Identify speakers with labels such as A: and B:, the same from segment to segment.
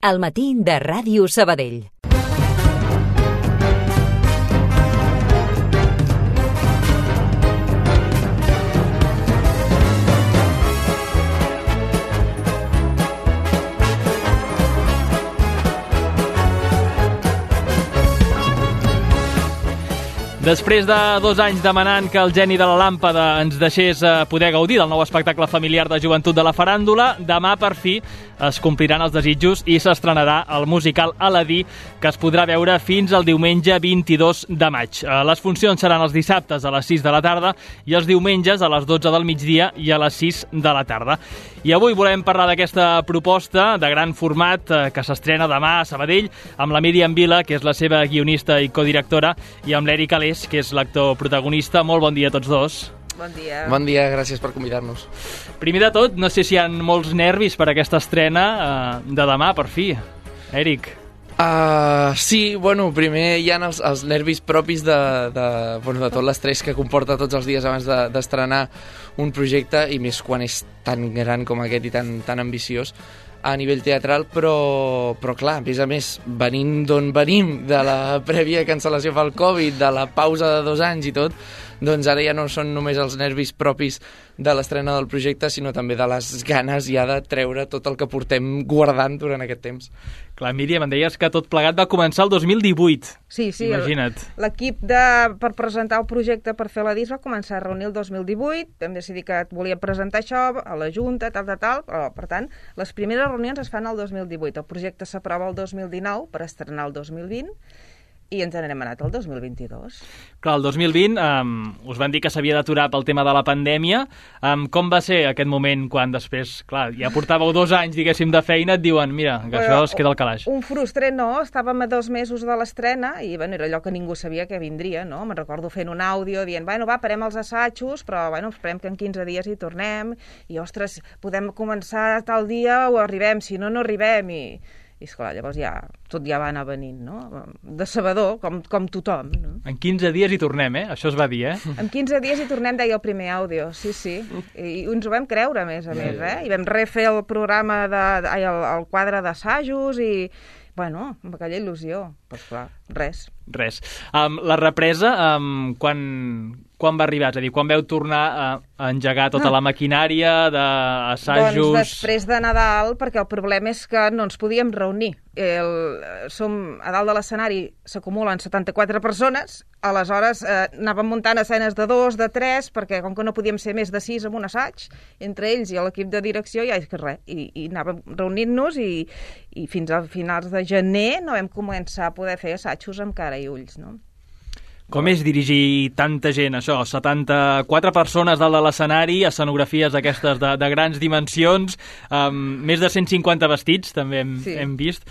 A: Al matí de Ràdio Sabadell.
B: Després de 2 anys demanant que el geni de la làmpada ens deixés poder gaudir del nou espectacle familiar de joventut de la faràndula, demà per fi es compliran els desitjos i s'estrenarà el musical Aladí, que es podrà veure fins al diumenge 22 de maig. Les funcions seran els dissabtes a les 6 de la tarda i els diumenges a les 12 del migdia i a les 6 de la tarda. I avui volem parlar d'aquesta proposta de gran format que s'estrena demà a Sabadell amb la Míriam Vila, que és la seva guionista i codirectora, i amb l'Eric Alés, que és l'actor protagonista. Molt bon dia a tots dos.
C: Bon dia.
D: Bon dia, gràcies per convidar-nos.
B: Primer de tot, no sé si hi ha molts nervis per aquesta estrena de demà, per fi. Eric.
D: Sí, bueno, primer hi ha els nervis propis de tot l'estrès que comporta tots els dies abans d'estrenar un projecte, i més quan és tan gran com aquest i tan ambiciós a nivell teatral, però clar, a més, venint d'on venim, de la prèvia cancel·lació pel Covid, de la pausa de 2 anys i tot, doncs ara ja no són només els nervis propis de l'estrena del projecte, sinó també de les ganes ja de treure tot el que portem guardant durant aquest temps.
B: Clar, Míriam, em deies que tot plegat va començar el 2018.
C: Sí,
B: imagina't.
C: L'equip per presentar el projecte per fer la disc va començar a reunir el 2018, vam decidir que volíem presentar això a la Junta, tal, però, per tant, les primeres reunions es fan el 2018. El projecte s'aprova el 2019 per estrenar el 2020, i ens n'hem anat al 2022.
B: Clar, el 2020 us van dir que s'havia d'aturar pel tema de la pandèmia. Com va ser aquest moment quan després, clar, ja portàveu 2 anys, diguéssim, de feina, et diuen, mira, que això es queda al calaix?
C: Un frustret, no. Estàvem a 2 mesos de l'estrena i, era allò que ningú sabia que vindria, no? Me'n recordo fent un àudio dient, parem els assajos, però, esperem que en 15 dies hi tornem i, ostres, podem començar tal dia o arribem, si no, no arribem, i esclar, llavors tot ja va anar venint, no? Decebedor, com tothom, no?
B: En 15 dies hi tornem, Això es va dir,
C: En 15 dies hi tornem, deia el primer àudio, sí. I ens ho vam creure, a més, I vam refer el programa, el quadre d'assajos i, amb aquella il·lusió. Però, clar, res.
B: La represa, quan va arribar? És a dir, quan veu tornar a engegar tota la maquinària d'assajos?
C: Doncs després de Nadal, perquè el problema és que no ens podíem reunir. A dalt de l'escenari s'acumulen 74 persones, aleshores anàvem muntant escenes de 2, de 3, perquè com que no podíem ser més de 6 en un assaig, entre ells i l'equip de direcció, ja és que res, i anàvem reunint-nos i fins a finals de gener no vam començar a poder fer assajos amb cara i ulls, no?
B: Com és dirigir tanta gent, això? 74 persones dalt de l'escenari, escenografies aquestes de grans dimensions, més de 150 vestits, també hem vist.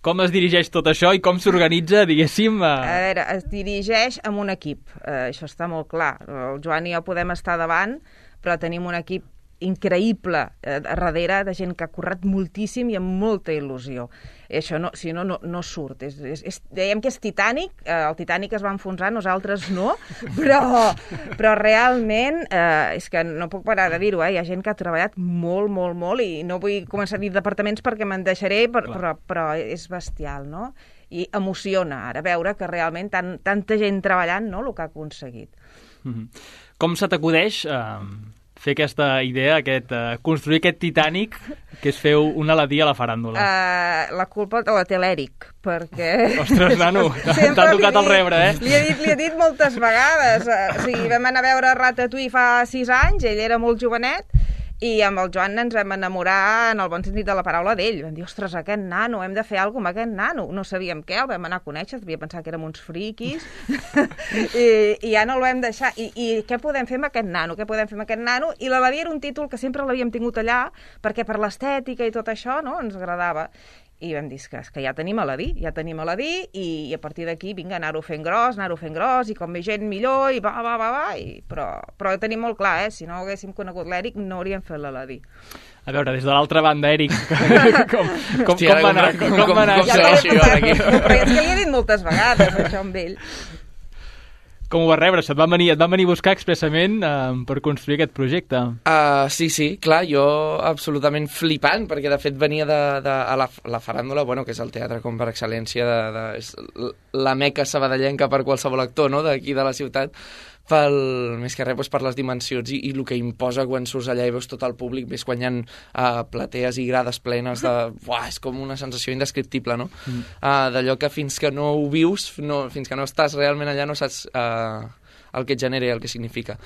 B: Com es dirigeix tot això i com s'organitza, diguéssim?
C: A veure, es dirigeix amb un equip, això està molt clar. El Joan i jo podem estar davant, però tenim un equip increïble darrere de gent que ha currat moltíssim i amb molta il·lusió. I això, si no surt. Dèiem que és Titanic, el Titanic es va enfonsar, nosaltres no, però realment és que no puc parar de dir-ho, hi ha gent que ha treballat molt, molt, molt, i no vull començar a dir departaments perquè me'n deixaré, però és bestial, no? I emociona ara veure que realment tanta gent treballant, no?, el que ha aconseguit.
B: Com se t'acudeix fer aquesta idea, construir aquest Titanic, que és fer un Aladí a la faràndula?
C: La culpa te la té l'Eric, perquè...
B: Ostres, nano, t'ha tocat el rebre,
C: Li he dit moltes vegades. Vam anar a veure Ratatouille fa 6 anys, ell era molt jovenet, i amb el Joan ens vam enamorar en el bon sentit de la paraula d'ell. Vam dir, ostres, aquest nano, hem de fer alguna cosa amb aquest nano. No sabíem què, el vam anar a conèixer, devia pensar que érem uns friquis, i ja no el vam deixar. I què podem fer amb aquest nano? I l'Aladí era un títol que sempre l'havíem tingut allà, perquè per l'estètica i tot això, no?, ens agradava. I vam dir que ja tenim Aladí, i a partir d'aquí, vinga, anar-ho fent gros, i com més gent millor, i però tenim molt clar, si no haguéssim conegut l'Eric, no hauríem fet l'Aladí.
B: A veure, des de l'altra banda, Eric, com va anar?
C: Com segueixo jo aquí? Però és que li he dit moltes vegades, això amb ell.
B: Com ho vas rebre? Et van venir a buscar expressament per construir aquest projecte.
D: Sí, clar, jo absolutament flipant, perquè de fet venia a la faràndula, bueno, que és el teatre com per excel·lència, és la meca sabadellenca per qualsevol actor, no?, d'aquí de la ciutat, més que res doncs, per les dimensions i el que imposa quan surts allà i veus tot el públic, ves quan hi ha platees i grades plenes és com una sensació indescriptible, no? D'allò que fins que no ho vius, fins que no estàs realment allà, no saps el que et genera i el que significa.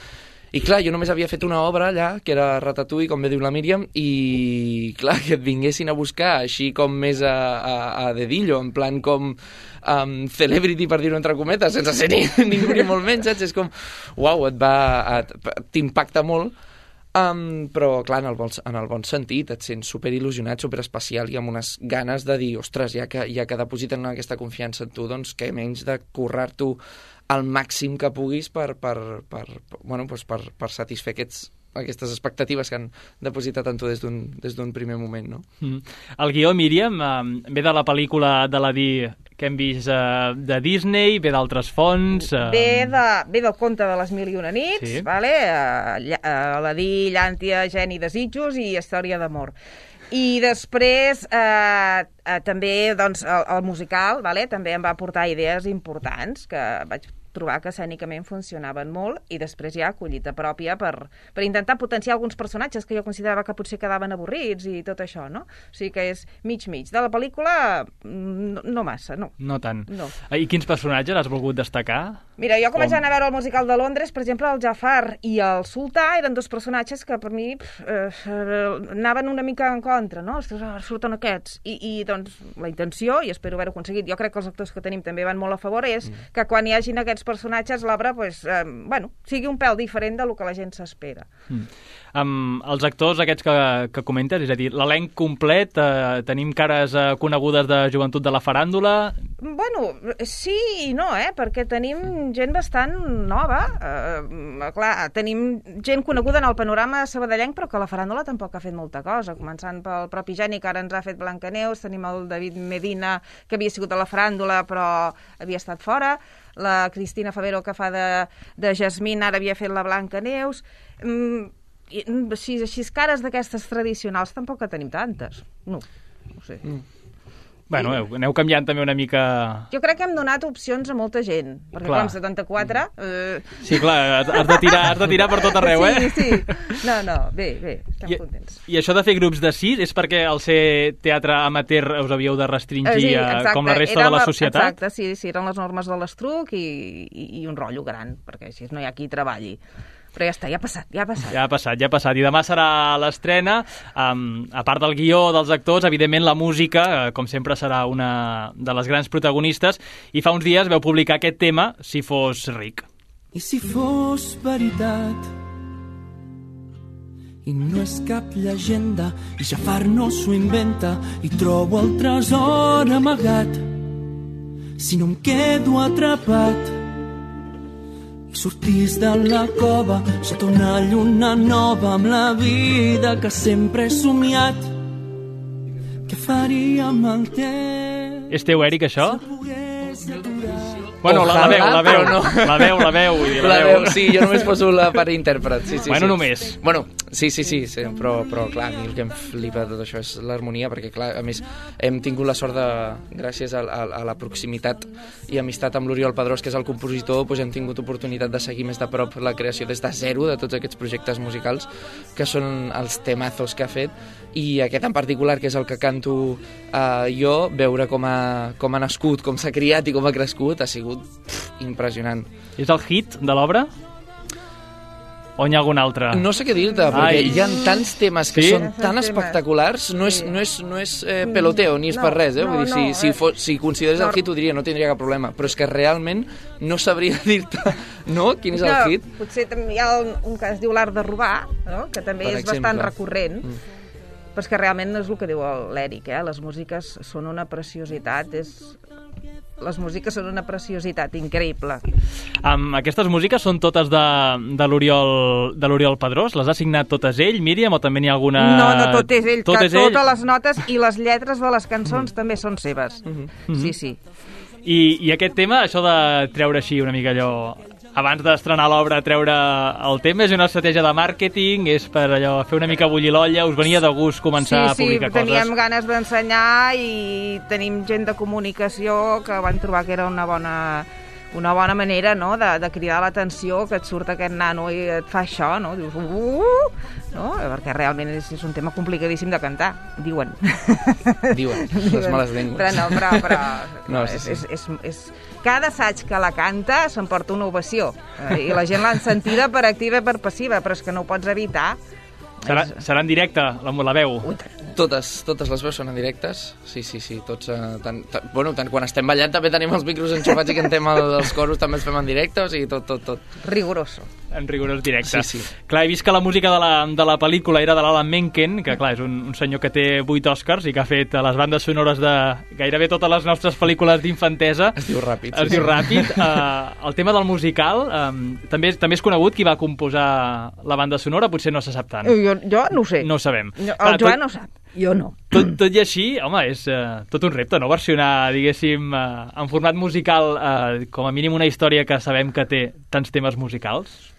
D: I clar, jo només havia fet una obra allà, que era Ratatouille, com bé diu la Míriam, i clar, que et vinguessin a buscar així com més a dedillo, en plan com celebrity, per dir-ho entre cometes, sense ser ningú ni molt menys, saps? És com, uau, t'impacta molt, però clar, en el bon sentit, et sents superil·lusionat, superespecial i amb unes ganes de dir, ostres, ja que depositen aquesta confiança en tu, doncs què menys de currar-t'ho al màxim que puguis per satisfer aquestes expectatives que han depositat en tu des d'un primer moment, no?
B: El guió, Míriam, ve de la pel·lícula d'Aladí que hem vist de Disney, ve d'altres fonts...
C: Ve del conte de les Mil i una nits, sí. Vale? Aladí, Llàntia, Geni, Desitjos i Història d'amor. I després també doncs, el musical, vale? També em va aportar idees importants que vaig trobar que escènicament funcionaven molt i després ja collita pròpia per intentar potenciar alguns personatges que jo considerava que potser quedaven avorrits i tot això, no? O sigui que és mig-mig. De la pel·lícula, no massa, no.
B: No tant.
C: No.
B: I quins personatges has volgut destacar?
C: Mira, jo vaig anar a veure el musical de Londres, per exemple, el Jafar i el Sultà eren dos personatges que per mi anaven una mica en contra, no? Surten aquests. I doncs la intenció, i espero haver-ho aconseguit, jo crec que els actors que tenim també van molt a favor, és que quan hi hagin aquests personatges l'obra sigui un pèl diferent del que la gent s'espera.
B: Els actors aquests que comentes, és a dir, l'elenc complet, tenim cares conegudes de joventut de la faràndula?
C: Bueno, sí i no, perquè tenim gent bastant nova. Clar, tenim gent coneguda en el panorama sabadellenc, però que la faràndula tampoc ha fet molta cosa, començant pel propi Geni, que ara ens ha fet Blancaneus, tenim el David Medina, que havia sigut a la faràndula, però havia estat fora, la Cristina Favero, que fa de Jasmine, ara havia fet la Blancaneus. Així cares d'aquestes tradicionals tampoc que tenim tantes. No sé.
B: Bueno, aneu canviant també una mica...
C: Jo crec que hem donat opcions a molta gent, perquè clar, amb 74...
B: Sí, clar, has de tirar per tot arreu,
C: Sí. No, bé, estem contents.
B: I això de fer grups de 6 és perquè al ser teatre amateur us havíeu de restringir com la resta de la societat?
C: Exacte, sí, eren les normes de l'Estruc i un rotllo gran, perquè així no hi ha qui treballi. Però ja està, ja ha passat. I demà serà l'estrena. A part del guió, dels actors, evidentment la música, com sempre, serà una de les grans protagonistes. I fa uns dies veu publicar aquest tema, Si fos ric.
E: I si fos veritat i no és cap llegenda i Jafar no s'ho inventa i trobo el tresor amagat, si no em quedo atrapat sortís de la cova sota una lluna nova amb la vida que sempre he somiat. Què faria amb el temps?
B: És teu, Eric, això? Bueno, la veu.
D: Sí, jo només poso la part d'intèrpret. Sí,
B: bueno, només.
D: Bueno, sí, però clar, a mi el que em flipa de tot això és l'harmonia, perquè clar, a més, hem tingut la sort de, gràcies a la proximitat i amistat amb l'Oriol Pedrós, que és el compositor, doncs hem tingut oportunitat de seguir més de prop la creació des de zero de tots aquests projectes musicals, que són els temazos que ha fet, i aquest en particular, que és el que canto jo, veure com ha nascut, com s'ha criat i com ha crescut, ha sigut impressionant.
B: És el hit de l'obra? O n'hi ha algun altre?
D: No sé què dir-te, perquè hi ha tants temes que són tan espectaculars, no és peloteo, ni és per res, vull dir, si consideres el hit ho diria, no tindria cap problema, però és que realment no sabria dir-te, no? Quin és el hit?
C: Potser també hi ha un que es diu L'art de robar, no? Que també és bastant recurrent, però és que realment és el que diu l'Eric, les músiques són una preciositat, les músiques són una preciositat increïble.
B: Aquestes músiques són totes de l'Oriol Pedrós? Les ha signat totes ell, Míriam, o també n'hi ha alguna...
C: No, tot és ell, totes les notes i les lletres de les cançons també són seves. Sí.
B: I aquest tema, això de treure així una mica allò abans d'estrenar l'obra, treure el tema? És una estratègia de màrqueting? És per allò fer una mica bullir l'olla? Us venia de gust començar a publicar coses?
C: Sí, teníem ganes d'ensenyar i tenim gent de comunicació que van trobar que era una bona manera, no?, de cridar l'atenció, que et surt aquest nano i et fa això, no? Dius, no? Perquè realment és un tema complicadíssim de cantar, diuen.
D: Diuen, les males llengües.
C: Però
D: no, sí.
C: és cada assaig que la canta s'emporta una ovació, i la gent l'ha sentida per activa i per passiva, però és que no ho pots evitar.
B: Serà en directe, la veu?
D: Totes les veus són en directes, sí, tots, tant quan estem ballant també tenim els micros enxufats i cantem els coros, també els fem en directe, o sigui, tot.
C: Rigoroso.
B: En rigorós directe.
D: Sí.
B: Clar, he vist que la música de la pel·lícula era de l'Alan Menken, que clar, és un senyor que té 8 Oscars i que ha fet les bandes sonores de gairebé totes les nostres pel·lícules d'infantesa.
D: Es diu Ràpid.
B: El tema del musical, també és conegut qui va composar la banda sonora, potser no se sap tant.
C: Jo no ho sé.
B: No ho sabem.
C: El Joan no ho sap. Jo no.
B: Tot i així, home, és tot un repte, no? Versionar, diguéssim, en format musical, com a mínim una història que sabem que té tants temes musicals.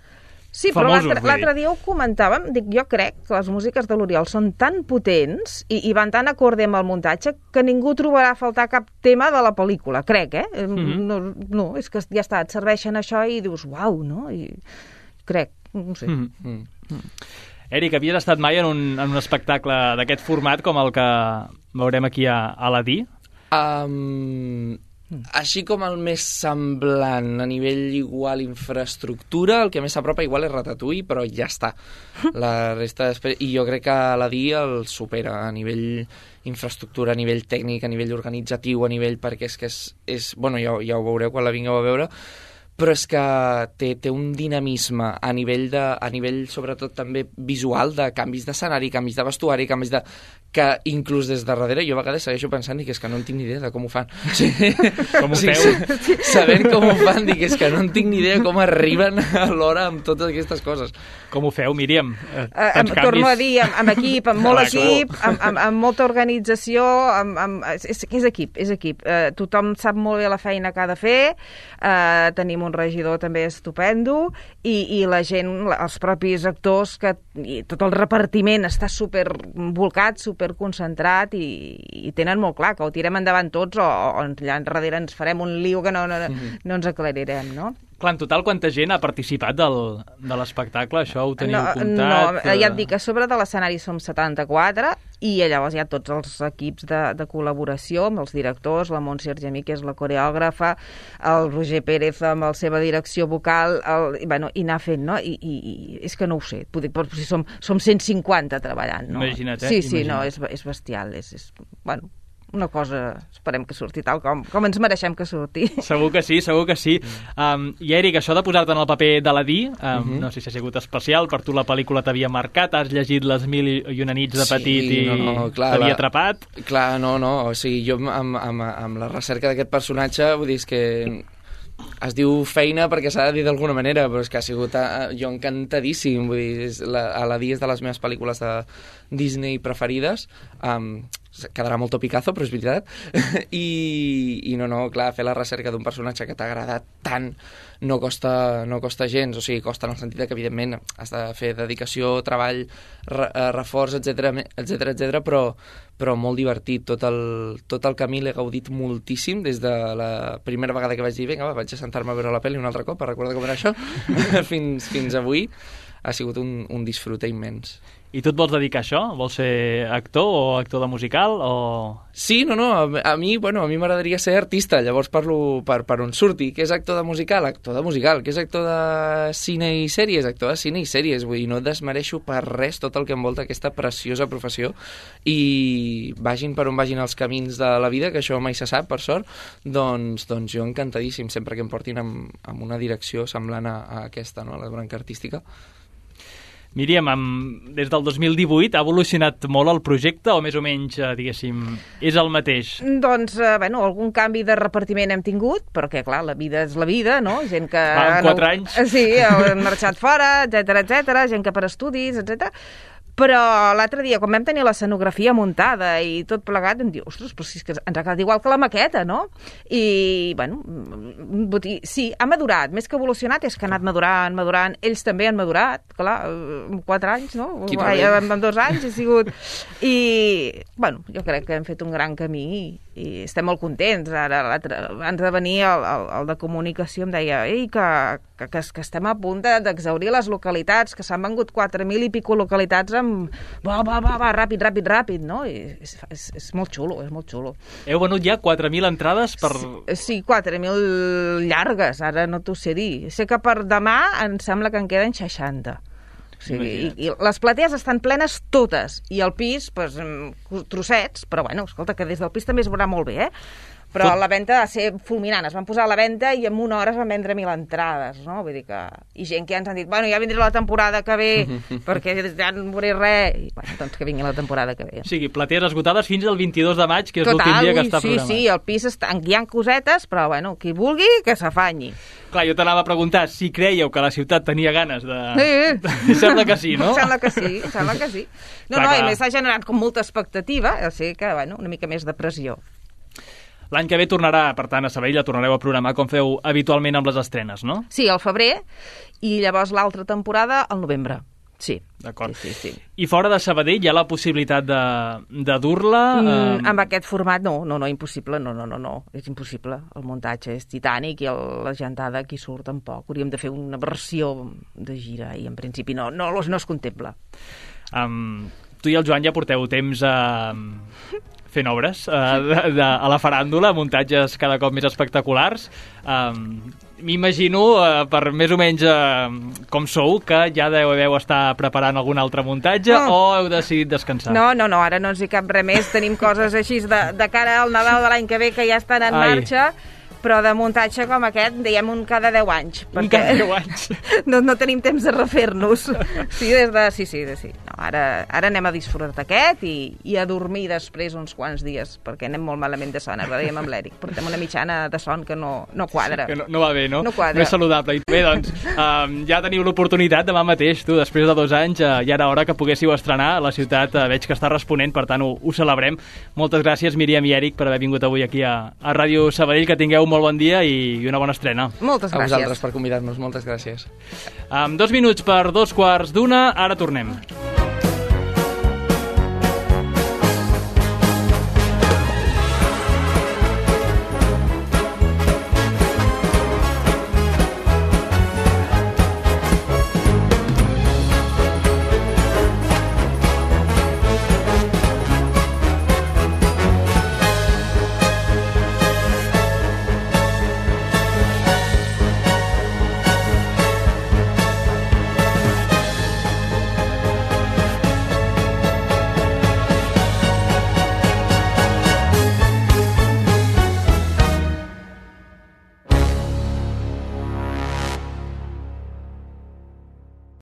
C: Sí,
B: famosos,
C: però l'altre dia ho comentàvem, jo crec que les músiques de l'Oriol són tan potents i van tan acorde amb el muntatge que ningú trobarà a faltar cap tema de la pel·lícula, crec, No, és que ja està, et serveixen això i dius, uau, no? I crec, no sé.
B: Eric, havies estat mai en un espectacle d'aquest format com el que veurem aquí a Aladí?
D: Així com el més semblant a nivell igual infraestructura, el que més s'apropa igual és Ratatouille, però ja està. La resta i jo crec que Aladí el supera a nivell infraestructura, a nivell tècnic, a nivell organitzatiu, a nivell perquè és que és bueno, ja ho veureu quan la vingueu a veure, però és que té un dinamisme a nivell sobretot també visual, de canvis d'escenari, canvis de vestuari, canvis de... que inclús des de darrere jo a vegades segueixo pensant que és que no en tinc ni idea de com ho fan.
B: Com ho feu?
D: Sabent com ho fan, dic, és que no en tinc ni idea com arriben a l'hora amb totes aquestes coses.
B: Com ho feu, Míriam?
C: Torno a dir, amb equip, amb molt equip, amb molta organització, és equip. Tothom sap molt bé la feina que ha de fer, tenim un regidor també estupendo, i la gent, els propis actors, i tot el repartiment està supervolcat, superconcentrat, i tenen molt clar que ho tirem endavant tots o allà enrere ens farem un lío que no ens aclarirem, no?
B: Clar, en total, quanta gent ha participat de l'espectacle? Això ho teniu comptat?
C: No, ja et dic, a sobre de l'escenari som 74 i llavors hi ha tots els equips de col·laboració amb els directors, la Montse Argemí, que és la coreògrafa, el Roger Pérez amb la seva direcció vocal, i anar fent, no? I és que no ho sé, però si som 150 treballant, no?
B: Imagina't,
C: Sí, no, és bestial, bueno, una cosa, esperem que surti tal com ens mereixem que surti.
B: Segur que sí. I Eric, això de posar-te en el paper d'Aladí, no sé si ha sigut especial, per tu la pel·lícula t'havia marcat, has llegit Les 1001 nits de petit t'havia atrapat?
D: Clar, no, o sigui, jo amb la recerca d'aquest personatge, vull dir, és que es diu feina perquè s'ha de dir d'alguna manera, però és que ha sigut jo encantadíssim, vull dir, Aladí és de les meves pel·lícules de Disney preferides, quedarà molt topicazo, però és veritat, i no, clar, fer la recerca d'un personatge que t'ha agradat tant no costa gens, o sigui, costa en el sentit que evidentment has de fer dedicació, treball, reforç, etc, però molt divertit, tot el camí l'he gaudit moltíssim des de la primera vegada que vaig dir, vinga, vaig a sentar-me a veure la pel·li un altre cop, a recordar com era això, fins avui ha sigut un disfrute immens.
B: I tu et vols dedicar a això? Vols ser actor o actor de musical? O...
D: Sí, no, a mi m'agradaria ser artista, llavors parlo per on surti. Què és actor de musical? Actor de musical. Què és actor de cine i sèries? Actor de cine i sèries. Vull dir, no desmereixo per res tot el que envolta aquesta preciosa professió, i vagin per on vagin els camins de la vida, que això mai se sap, per sort, doncs jo encantadíssim, sempre que em portin amb una direcció semblant a aquesta, no? A la branca artística.
B: Míriam, des del 2018 ha evolucionat molt el projecte o més o menys, diguéssim, és el mateix?
C: Doncs, algun canvi de repartiment hem tingut, però que, clar, la vida és la vida, no? Gent que...
B: En 4 anys.
C: Sí, han marxat fora, etc, gent que per estudis, etc. Però l'altre dia, quan vam tenir l'escenografia muntada i tot plegat, em diu, ostres, però si és que ens ha quedat igual que la maqueta, no? I, bueno, sí, ha madurat. Més que evolucionat és que ha anat madurant. Ells també han madurat, clar, en 4 anys, no? En 2 anys ha sigut... I, bueno, jo crec que hem fet un gran camí i estem molt contents. Ara, abans de venir, el de comunicació em deia que estem a punt d'exhaurir les localitats, que s'han vengut 4.000 i pico localitats amb va, ràpid, no? I és molt xulo, és molt xulo.
B: Heu venut ja 4.000 entrades per...
C: Sí, 4.000 llargues, ara no t'ho sé dir. Sé que per demà em sembla que en queden 60. O sigui, i les platees estan plenes totes, i el pis, pues, trossets, però bueno, escolta, que des del pis també es veurà molt bé, Però la venda va ser fulminant. Es van posar a la venda i en una hora es van vendre 1.000 entrades, no? Vull dir que... I gent que ja ens han dit, bueno, ja vindré la temporada que ve, perquè ja no veuré res. I, bueno, doncs que vingui la temporada que ve.
B: O sigui, platees esgotades fins al 22 de maig, que és l'últim dia que està programat.
C: Sí, el pis hi ha cosetes, però, bueno, qui vulgui, que s'afanyi.
B: Clar, jo t'anava a preguntar si creieu que la ciutat tenia ganes de... Sí. Sembla que sí, no?
C: Sembla que sí. No, i més s'ha generat com molta expectativa, o sigui que, bueno, una mica més de pressió.
B: L'any que ve tornarà, per tant, a Sabadell, la tornareu a programar com feu habitualment amb les estrenes, no?
C: Sí, al febrer, i llavors l'altra temporada al novembre. Sí.
B: D'acord.
C: Sí.
B: I fora de Sabadell hi ha la possibilitat de dur-la?
C: Amb aquest format no, impossible, no, és impossible. El muntatge és titànic i la gentada aquí surt tampoc. Hauríem de fer una versió de gira i en principi no es contempla.
B: Tu i el Joan ja porteu temps fent obres a la faràndula, muntatges cada cop més espectaculars. M'imagino, per més o menys com sou, que ja deveu estar preparant algun altre muntatge o heu decidit descansar?
C: No, ara no ens hi cap res més. Tenim coses així de cara al Nadal de l'any que ve que ja estan en marxa, però de muntatge com aquest, diem un cada 10 anys.
B: Cada 10 anys?
C: No tenim temps de refer-nos. Sí. No, ara anem a disfrutar aquest i a dormir després uns quants dies, perquè anem molt malament de son. Ara dèiem amb l'Eric, portem una mitjana de son que no quadra.
B: Que no va bé, no?
C: No quadra.
B: No és saludable. Bé, doncs, ja teniu l'oportunitat demà mateix, tu, després de 2 anys, ja era hora que poguéssiu estrenar. La ciutat veig que està responent, per tant ho celebrem. Moltes gràcies, Míriam i Eric, per haver vingut avui aquí a Ràdio Sabadell. Que tingueu molt bon dia i una bona estrena.
C: Moltes gràcies.
D: A vosaltres per convidar-nos, moltes gràcies.
B: 2 minuts per 2:15, ara tornem.